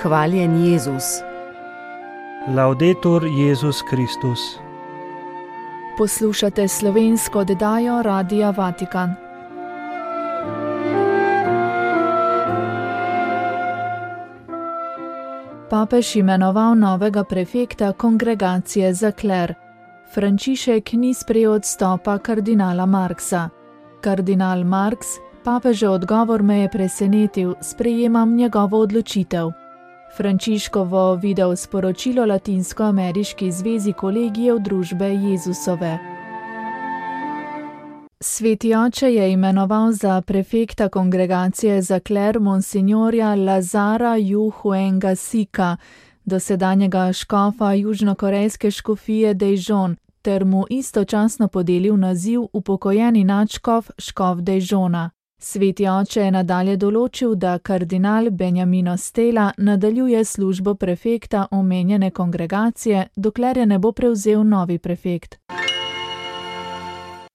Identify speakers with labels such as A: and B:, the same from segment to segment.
A: Hvaljen Jezus.
B: Laudetur Jezus Kristus.
C: Poslušate slovensko oddajo Radia Vatikan. Papež imenoval novega prefekta kongregacije za kler. Frančišek ni sprejel odstopa kardinala Marxa. Kardinal Marx, papežev odgovor me je presenetil, sprejemam njegovo odločitev. Frančiškovo video sporočilo Latinsko-ameriški zvezi kolegijev družbe Jezusove. Sveti oče je imenoval za prefekta kongregacije za kler monsinjorja Lazara Yu Huenga Sika, dosedanjega škofa južnokorejske škofije Daejeon, ter mu istočasno podelil naziv upokojeni nadškof škof Daejeona. Sveti oče je nadalje določil, da kardinal Benjamino Stella nadaljuje službo prefekta omenjene kongregacije, dokler je ne bo prevzel novi prefekt.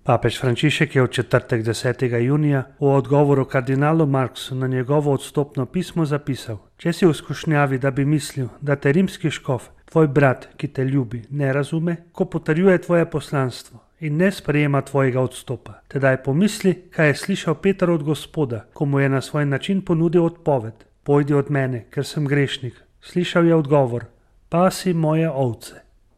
B: Papež Frančišek je v četrtek 10. junija v odgovoru kardinalu Marxu na njegovo odstopno pismo zapisal: Če si v skušnjavi, da bi mislil, da te rimski škof, tvoj brat, ki te ljubi, ne razume, ko potrjuje tvoje poslanstvo in ne sprejema tvojega odstopa. Tedaj pomisli, kaj je slišal Peter od Gospoda, ko mu je na svoj način ponudil odpoved: Pojdi od mene, ker sem grešnik. Slišal je odgovor: Pasi moje ovce.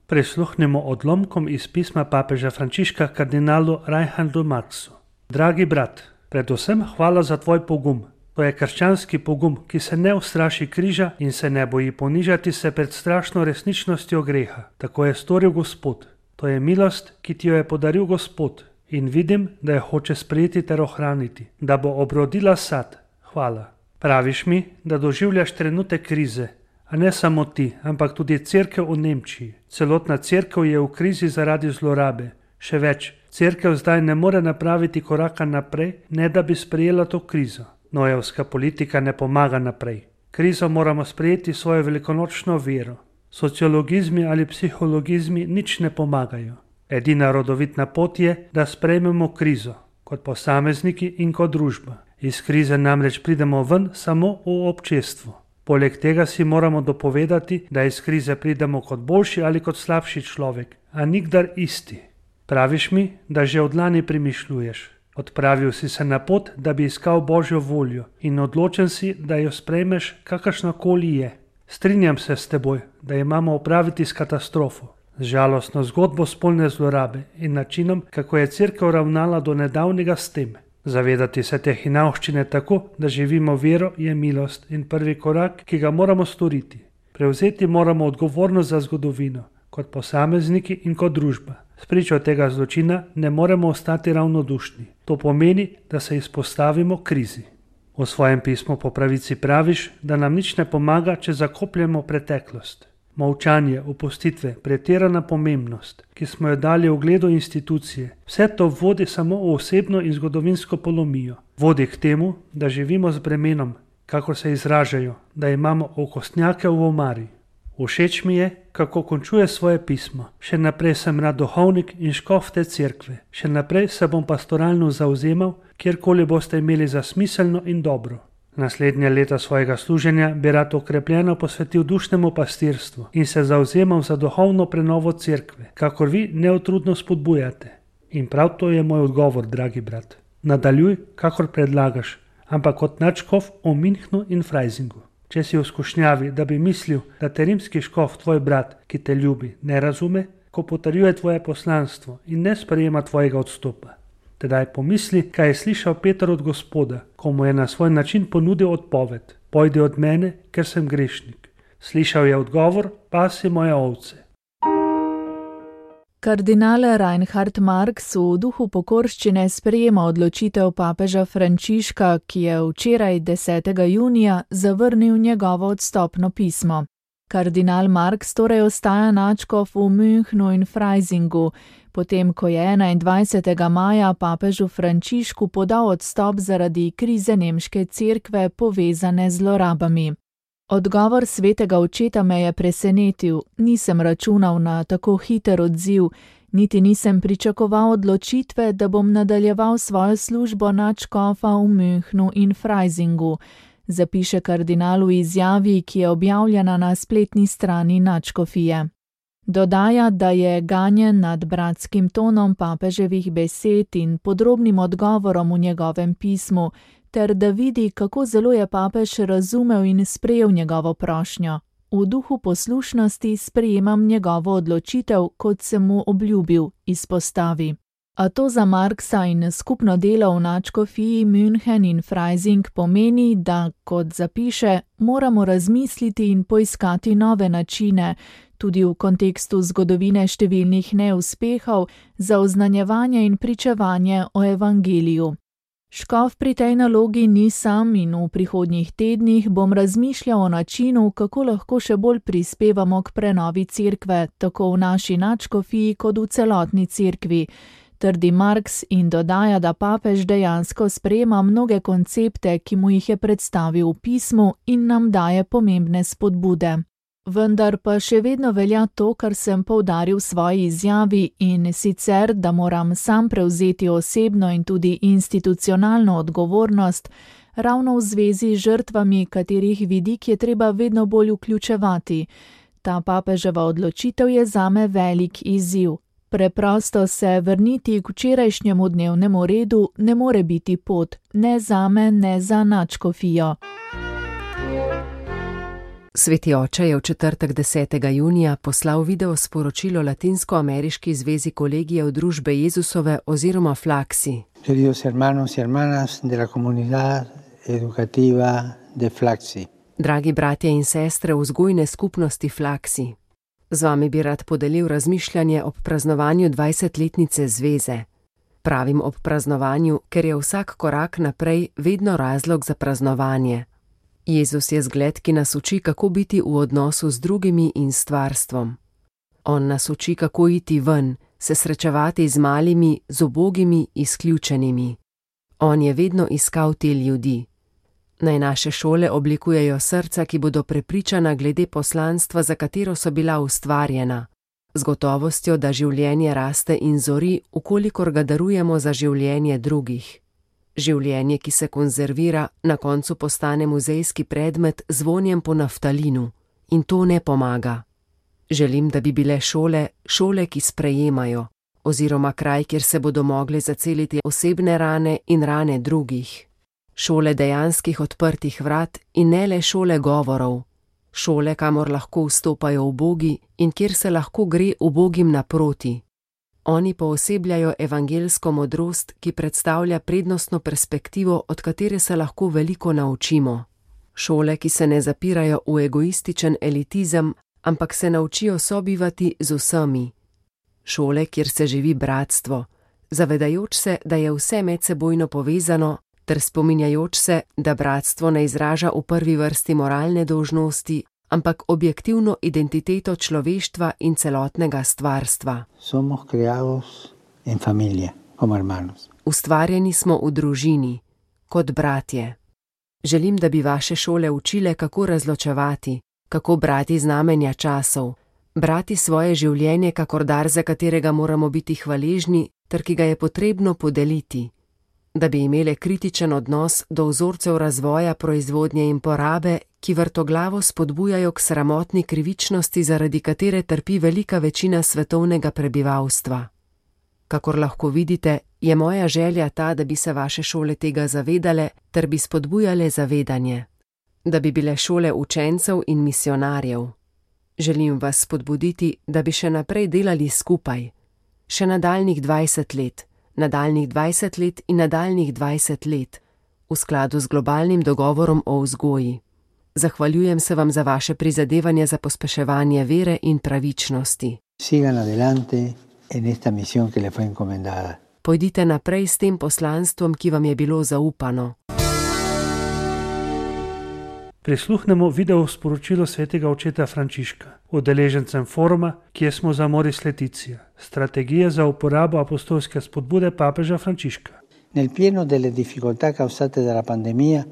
B: Prisluhnimo odlomkom iz pisma papeža Frančiška kardinalu Reinhardu Marxu. Dragi brat, predvsem hvala za tvoj pogum. To je krščanski pogum, ki se ne ustraši križa in se ne boji ponižati se pred strašno resničnostjo greha. Tako je storil Gospod. To je milost, ki ti jo je podaril Gospod, in vidim, da jo hoče sprejeti ter ohraniti, da bo obrodila sad. Hvala. Praviš mi, da doživljaš trenutek krize, a ne samo ti, ampak tudi cerkev v Nemčiji. Celotna cerkev je v krizi zaradi zlorabe. Še več, cerkev zdaj ne more napraviti koraka naprej, ne da bi sprejela to krizo. Nojevska politika ne pomaga naprej. Krizo moramo sprejeti svojo velikonočno vero. Sociologizmi ali psihologizmi nič ne pomagajo. Edina rodovitna pot je, da sprejmemo krizo, kot posamezniki in kot družba. Iz krize namreč pridemo ven samo v občestvu. Poleg tega si moramo dopovedati, da iz krize pridemo kot boljši ali kot slabši človek, a nikdar isti. Praviš mi, da že od lani premišljuješ. Odpravil si se na pot, da bi iskal Božjo voljo, in odločen si, da jo sprejmeš, kakršnakoli je. Strinjam se s teboj, da imamo opraviti s katastrofo, z žalostno zgodbo spolne zlorabe in načinom, kako je cerkev ravnala do nedavnega s tem. Zavedati se te hinavščine tako, da živimo vero, je milost in prvi korak, ki ga moramo storiti. Prevzeti moramo odgovornost za zgodovino, kot posamezniki in kot družba. Spričo tega zločina ne moremo ostati ravnodušni. To pomeni, da se izpostavimo krizi. V svojem pismu po pravici praviš, da nam nič ne pomaga, če zakopljemo preteklost. Molčanje, opustitve, pretirana pomembnost, ki smo jo dali ugledu institucije, vse to vodi samo v osebno in zgodovinsko polomijo. Vodi k temu, da živimo z bremenom, kakor se izražajo, da imamo okostnjake v omari. Všeč mi je, kako končuje svoje pismo. Še naprej sem rad duhovnik in škof te cerkve. Še naprej se bom pastoralno zavzemal, kjerkoli boste imeli za smiselno in dobro. Naslednje leta svojega služenja bi rad okrepljeno posvetil dušnemu pastirstvu in se zavzemal za duhovno prenovo cerkve, kakor vi neutrudno spodbujate. In prav to je moj odgovor, dragi brat. Nadaljuj, kakor predlagaš, ampak kot nadškof v Münchnu in Freisingu. Če si v skušnjavi, da bi mislil, da te rimski škof, tvoj brat, ki te ljubi, ne razume, ko potrjuje tvoje poslanstvo in ne sprejema tvojega odstopa. Tedaj pomisli, kaj je slišal Peter od Gospoda, ko mu je na svoj način ponudil odpoved: Pojdi od mene, ker sem grešnik. Slišal je odgovor: Pasi moje ovce.
C: Kardinal Reinhard Marx v duhu pokorščine sprejema odločitev papeža Frančiška, ki je včeraj 10. junija zavrnil njegovo odstopno pismo. Kardinal Marx torej ostaja nadškof v Münchnu in Freisingu, potem ko je 21. maja papežu Frančišku podal odstop zaradi krize nemške cerkve povezane z zlorabami. Odgovor svetega očeta me je presenetil, nisem računal na tako hiter odziv, niti nisem pričakoval odločitve, da bom nadaljeval svojo službo nadškofa v Münchnu in Freisingu. zapiše kardinal v izjavi, ki je objavljena na spletni strani nadškofije. Dodaja, da je ganjen nad bratskim tonom papeževih besed in podrobnim odgovorom v njegovem pismu, ter da vidi, kako zelo je papež razumel in sprejel njegovo prošnjo. V duhu poslušnosti sprejemam njegovo odločitev, kot sem mu obljubil, izpostavi. A to za Marksa in skupno delo v nadškofiji München in Freising pomeni, da, kot zapiše, moramo razmisliti in poiskati nove načine, tudi v kontekstu zgodovine številnih neuspehov, za oznanjevanje in pričevanje o evangeliju. Škof pri tej nalogi ni sam in v prihodnjih tednih bom razmišljal o načinu, kako lahko še bolj prispevamo k prenovi cerkve, tako v naši nadškofiji kot v celotni cerkvi, trdi Marks in dodaja, da papež dejansko sprejema mnoge koncepte, ki mu jih je predstavil v pismu in nam daje pomembne spodbude. Vendar pa še vedno velja to, kar sem poudaril v svoji izjavi, in sicer, da moram sam prevzeti osebno in tudi institucionalno odgovornost, ravno v zvezi z žrtvami, katerih vidik je treba vedno bolj vključevati. Ta papeževa odločitev je zame velik izziv. Preprosto se vrniti k včerajšnjemu dnevnemu redu ne more biti pot, ne zame, ne za nadškofijo.
A: Sveti oče je v četrtek 10. junija poslal video sporočilo Latinsko-ameriški zvezi kolegijev družbe Jezusove oziroma Flaxi.
D: Queridos hermanos y hermanas de la comunidad educativa de Flaxi.
A: Dragi bratje in sestre vzgojne skupnosti Flaxi. Z vami bi rad podelil razmišljanje ob praznovanju 20-letnice zveze. Pravim ob praznovanju, ker je vsak korak naprej vedno razlog za praznovanje. Jezus je zgled, ki nas uči, kako biti v odnosu z drugimi in stvarstvom. On nas uči, kako iti ven, se srečevati z malimi, z ubogimi, izključenimi. On je vedno iskal te ljudi. Naj naše šole oblikujejo srca, ki bodo prepričana glede poslanstva, za katero so bila ustvarjena, z gotovostjo, da življenje raste in zori, ukolikor ga darujemo za življenje drugih. Življenje, ki se konzervira, na koncu postane muzejski predmet z vonjem po naftalinu. In to ne pomaga. Želim, da bi bile šole, ki sprejemajo, oziroma kraj, kjer se bodo mogle zaceliti osebne rane in rane drugih. Šole dejanskih odprtih vrat in ne le šole govorov. Šole, kamor lahko vstopajo ubogi in kjer se lahko gre ubogim naproti. Oni poosebljajo evangelsko modrost, ki predstavlja prednostno perspektivo, od katere se lahko veliko naučimo. Šole, ki se ne zapirajo v egoističen elitizem, ampak se naučijo sobivati z vsemi. Šole, kjer se živi bratstvo, zavedajoč se, da je vse medsebojno povezano, ter spominjajoč se, da bratstvo ne izraža v prvi vrsti moralne dolžnosti, ampak objektivno identiteto človeštva in celotnega stvarstva.
D: Somos creados en familia, como hermanos.
A: Ustvarjeni smo v družini, kot bratje. Želim, da bi vaše šole učile, kako razločevati, kako brati znamenja časov, brati svoje življenje kakor dar, za katerega moramo biti hvaležni, ter ki ga je potrebno podeliti. Da bi imele kritičen odnos do vzorcev razvoja, proizvodnje in porabe, ki vrtoglavo spodbujajo k sramotni krivičnosti, zaradi katere trpi velika večina svetovnega prebivalstva. Kakor lahko vidite, je moja želja ta, da bi se vaše šole tega zavedale, ter bi spodbujale zavedanje. Da bi bile šole učencev in misionarjev. Želim vas spodbuditi, da bi še naprej delali skupaj. Še nadaljnjih 20 let. Nadaljnjih 20 let in nadaljnjih 20 let, v skladu z globalnim dogovorom o vzgoji. Zahvaljujem se vam za vaše prizadevanje za pospeševanje vere in pravičnosti.
D: Sigan adelante en esta misión que le fue encomendada.
A: Pojdite naprej s tem poslanstvom, ki vam je bilo zaupano.
B: Prisluhnemo video sporočilo svetega očeta Frančiška, udeležencem foruma, kjer smo za Amoris Laetitia, strategija za uporabo apostolske spodbude papeža Frančiška.
D: Nel pieno delle difficoltà causate dalla pandemia,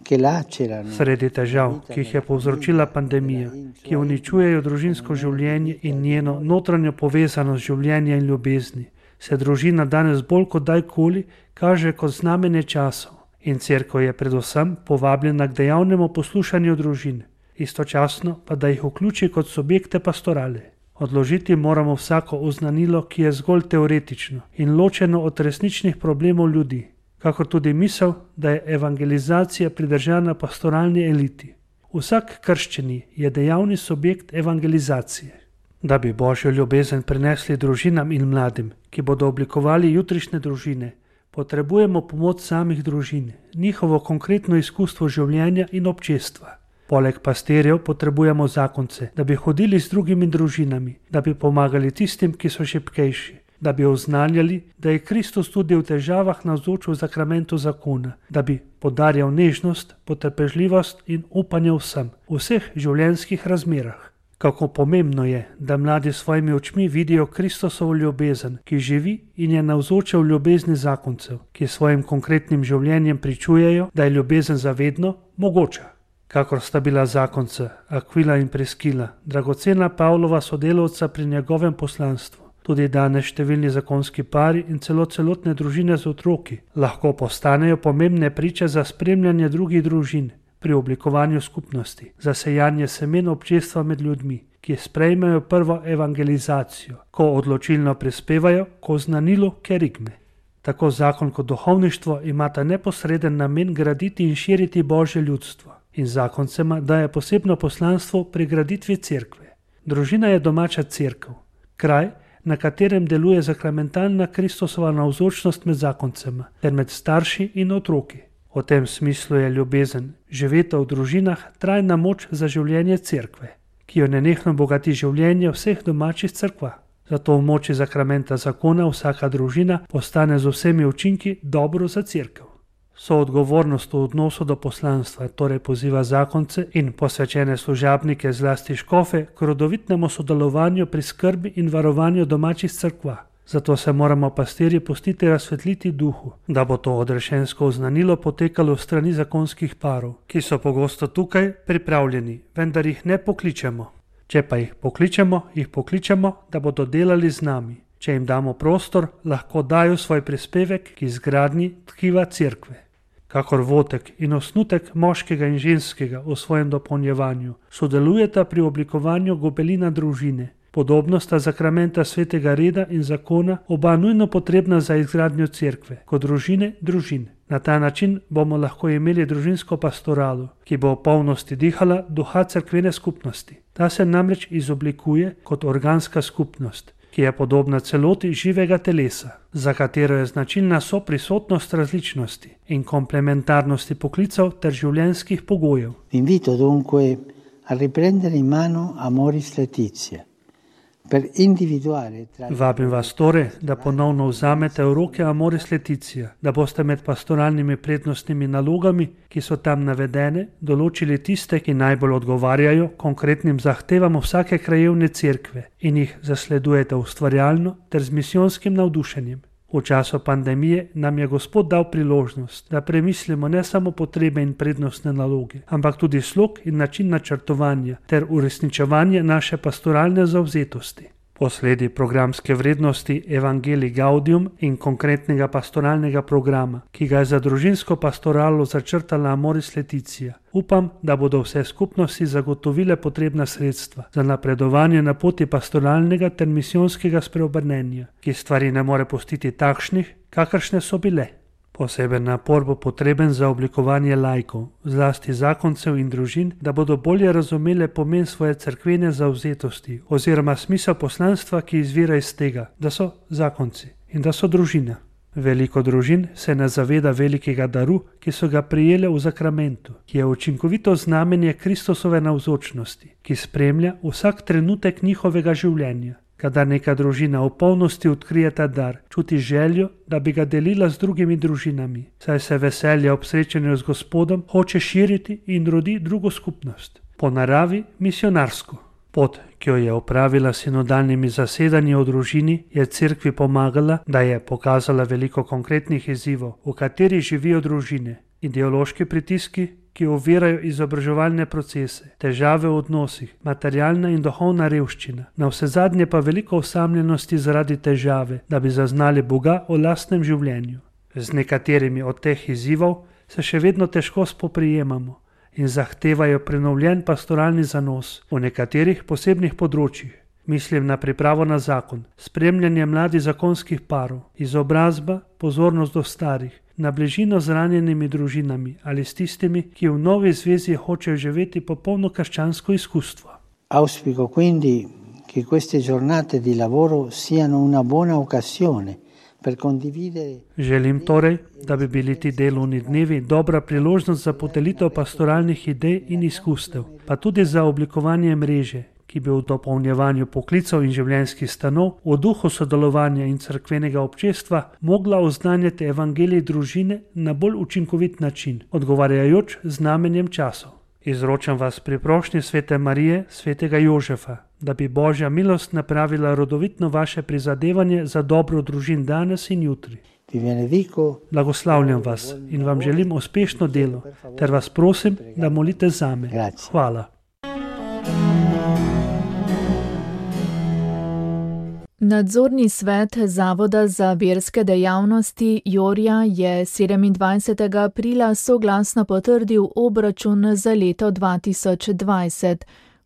D: che lacerano.
B: Sredi težav, ki jih je povzročila pandemija, ki uničujejo družinsko življenje in njeno notranjo povezanost življenja in ljubezni, se družina danes bolj kot dajkoli kaže kot znamenje časov. In cerkev je predvsem povabljena k dejavnemu poslušanju družin, istočasno pa da jih vključi kot subjekte pastorale. Odložiti moramo vsako oznanilo, ki je zgolj teoretično in ločeno od resničnih problemov ljudi, kakor tudi misel, da je evangelizacija pridržana pastoralni eliti. Vsak krščeni je dejavni subjekt evangelizacije. Da bi Božjo ljubezen prenesli družinam in mladim, ki bodo oblikovali jutrišnje družine, potrebujemo pomoč samih družin, njihovo konkretno izkustvo življenja in občestva. Poleg pastirjev potrebujemo zakonce, da bi hodili z drugimi družinami, da bi pomagali tistim, ki so šibkejši, da bi oznanjali, da je Kristus tudi v težavah navzoč v zakramentu zakona, da bi podarjal nežnost, potrpežljivost in upanje vsem, v vseh življenjskih razmerah. Kako pomembno je, da mladi s svojimi očmi vidijo Kristusovo ljubezen, ki živi in je navzoča v ljubezni zakoncev, ki svojim konkretnim življenjem pričujejo, da je ljubezen zavedno mogoča. Kakor sta bila zakonca Akvila in Priskila, dragocena Pavlova sodelavca pri njegovem poslanstvu, tudi danes številni zakonski pari in celotne družine z otroki lahko postanejo pomembne priče za spremljanje drugih družin pri oblikovanju skupnosti, za sejanje semen občestva med ljudmi, ki sprejmejo prvo evangelizacijo, ko odločilno prispevajo k oznanilu kerigme. Tako zakon kot duhovništvo imata neposreden namen graditi in širiti Božje ljudstvo in zakoncema daje posebno poslanstvo pri graditvi cerkve. Družina je domača cerkev, kraj, na katerem deluje zakramentalna Kristusova navzočnost med zakoncema ter med starši in otroki. V tem smislu je ljubezen, živeta v družinah, trajna moč za življenje cerkve, ki jo nenehno bogati življenje vseh domačih cerkva. Zato v moči zakramenta zakona vsaka družina postane z vsemi učinki dobro za cerkev. Soodgovornost v odnosu do poslanstva torej poziva zakonce in posvečene služabnike, zlasti škofe, k rodovitnemu sodelovanju pri skrbi in varovanju domačih cerkva. Zato se moramo pastirji pustiti razsvetliti duhu, da bo to odrešensko oznanilo potekalo v strani zakonskih parov, ki so pogosto tukaj pripravljeni, vendar jih ne pokličemo. Če pa jih pokličemo, da bodo delali z nami. Če jim damo prostor, lahko dajo svoj prispevek k izgradnji tkiva cerkve. Kakor votek in osnutek moškega in ženskega v svojem dopolnjevanju sodelujeta pri oblikovanju gobelina družine, podobno sta zakramenta svetega reda in zakona oba nujno potrebna za izgradnjo cerkve, kot družine družin. Na ta način bomo lahko imeli družinsko pastoralo, ki bo v polnosti dihala duha cerkvene skupnosti. Ta se namreč izoblikuje kot organska skupnost, ki je podobna celoti živega telesa, za katero je značilna soprisotnost različnosti in komplementarnosti poklicev ter življenjskih pogojev.
D: Invito dunque a riprendere in mano Amoris Laetitia.
B: Vabim vas torej, da ponovno vzamete v roke Amoris Laetitia, da boste med pastoralnimi prednostnimi nalogami, ki so tam navedene, določili tiste, ki najbolj odgovarjajo konkretnim zahtevam vsake krajevne cerkve in jih zasledujete ustvarjalno ter z misijonskim navdušenjem. V času pandemije nam je Gospod dal priložnost, da premislimo ne samo potrebe in prednostne naloge, ampak tudi slog in način načrtovanja ter uresničevanje naše pastoralne zavzetosti. Posledi programske vrednosti Evangelii Gaudium in konkretnega pastoralnega programa, ki ga je za družinsko pastoralo začrtala Amoris Laetitia, upam, da bodo vse skupnosti zagotovile potrebna sredstva za napredovanje na poti pastoralnega ter misijonskega spreobrnenja, ki stvari ne more pustiti takšnih, kakršne so bile. Poseben napor bo potreben za oblikovanje laikov, zlasti zakoncev in družin, da bodo bolje razumele pomen svoje cerkvene zavzetosti oziroma smisel poslanstva, ki izvira iz tega, da so zakonci in da so družina. Veliko družin se ne zaveda velikega daru, ki so ga prijele v zakramentu, ki je učinkovito znamenje Kristusove navzočnosti, ki spremlja vsak trenutek njihovega življenja. Kadar neka družina v polnosti odkrije ta dar, čuti željo, da bi ga delila z drugimi družinami, saj se veselje ob srečanju z Gospodom hoče širiti in rodi drugo skupnost. Po naravi misionarsko. Pot, ki jo je opravila s sinodalnimi zasedanji o družini, je cerkvi pomagala, da je pokazala veliko konkretnih izzivov, v katerih živijo družine, ideološki pritiski, ki ovirajo izobraževalne procese, težave v odnosih, materialna in duhovna revščina, navsezadnje pa veliko osamljenosti zaradi težave, da bi zaznali Boga v lastnem življenju. Z nekaterimi od teh izzivov se še vedno težko spoprijemamo in zahtevajo prenovljen pastoralni zanos v nekaterih posebnih področjih. Mislim na pripravo na zakon, spremljanje mladih zakonskih parov, izobrazba, pozornost do starih, na bližino z ranjenimi družinami ali s tistimi, ki v novi zvezi hočejo živeti popolno krščansko izkustvo.
D: Auspico quindi che queste giornate di lavoro siano una buona occasione per condividere.
B: Želim torej, da bi bili ti delovni dnevi dobra priložnost za podelitev pastoralnih idej in izkustev, pa tudi za oblikovanje mreže, ki bi v dopolnjevanju poklicev in življenjskih stanov v duhu sodelovanja in cerkvenega občestva mogla oznanjati evangelij družine na bolj učinkovit način, odgovarjajoč znamenjem časov. Izročam vas pri prošnji svete Marije, svetega Jožefa, da bi Božja milost napravila rodovitno vaše prizadevanje za dobro družin danes in jutri. Blagoslavljam vas in vam želim uspešno delo, ter vas prosim, da molite zame. Hvala.
C: Nadzorni svet Zavoda za verske dejavnosti Jorja je 27. aprila soglasno potrdil obračun za leto 2020.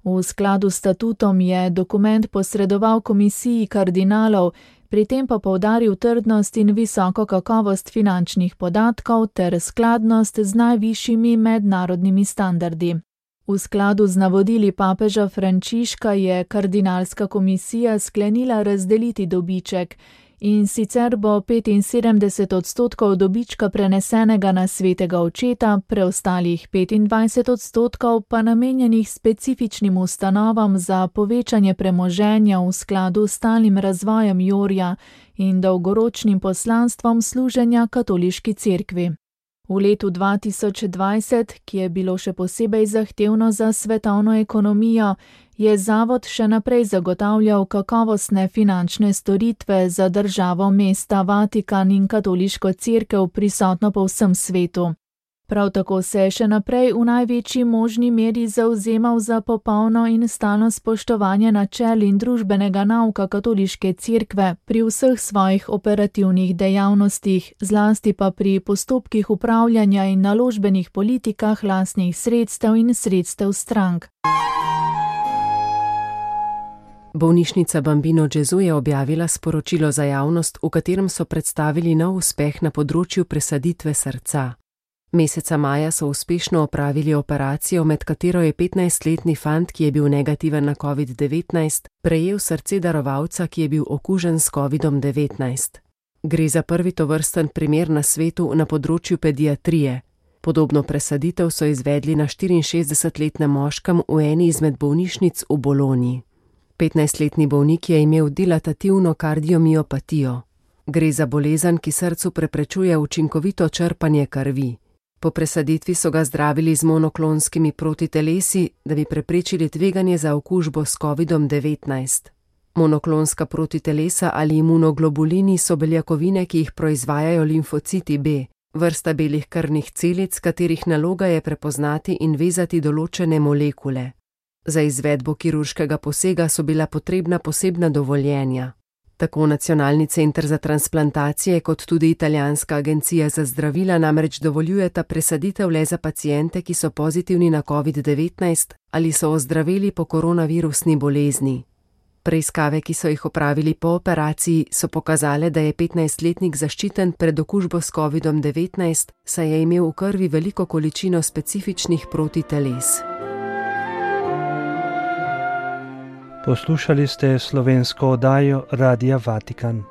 C: V skladu s statutom je dokument posredoval komisiji kardinalov, pri tem pa poudaril trdnost in visoko kakovost finančnih podatkov ter skladnost z najvišjimi mednarodnimi standardi. V skladu z navodili papeža Frančiška je kardinalska komisija sklenila razdeliti dobiček, in sicer bo 75% dobička prenesenega na svetega očeta, preostalih 25% pa namenjenih specifičnim ustanovam za povečanje premoženja v skladu s stalnim razvojem Jorja in dolgoročnim poslanstvom služenja katoliški cerkvi. V letu 2020, ki je bilo še posebej zahtevno za svetovno ekonomijo, je zavod še naprej zagotavljal kakovostne finančne storitve za državo, mesta Vatikan in katoliško cerkev prisotno po vsem svetu. Prav tako se je še naprej v največji možni meri zavzemal za popolno in stalno spoštovanje načel in družbenega nauka katoliške cerkve pri vseh svojih operativnih dejavnostih, zlasti pa pri postopkih upravljanja in naložbenih politikah lastnih sredstev in sredstev strank.
A: Bolnišnica Bambino Gesù je objavila sporočilo za javnost, v katerem so predstavili nov uspeh na področju presaditve srca. Meseca maja so uspešno opravili operacijo, med katero je 15-letni fant, ki je bil negativen na COVID-19, prejel srce darovalca, ki je bil okužen s COVID-19. Gre za prvi tovrsten primer na svetu na področju pediatrije. Podobno presaditev so izvedli na 64-letnem moškem v eni izmed bolnišnic v Bologni. 15-letni bolnik je imel dilatativno kardiomiopatijo. Gre za bolezen, ki srcu preprečuje učinkovito črpanje krvi. Po presaditvi so ga zdravili z monoklonskimi protitelesi, da bi preprečili tveganje za okužbo s COVID-19. Monoklonska protitelesa ali imunoglobulini so beljakovine, ki jih proizvajajo limfociti B, vrsta belih krvnih celic, katerih naloga je prepoznati in vezati določene molekule. Za izvedbo kirurškega posega so bila potrebna posebna dovoljenja. Tako Nacionalni center za transplantacije kot tudi Italijanska agencija za zdravila namreč dovoljujeta presaditev le za paciente, ki so pozitivni na COVID-19 ali so ozdraveli po koronavirusni bolezni. Preiskave, ki so jih opravili po operaciji, so pokazale, da je 15-letnik zaščiten pred okužbo s COVID-19, saj je imel v krvi veliko količino specifičnih protiteles.
B: Poslušali ste slovensko oddajo Radia Vatikan.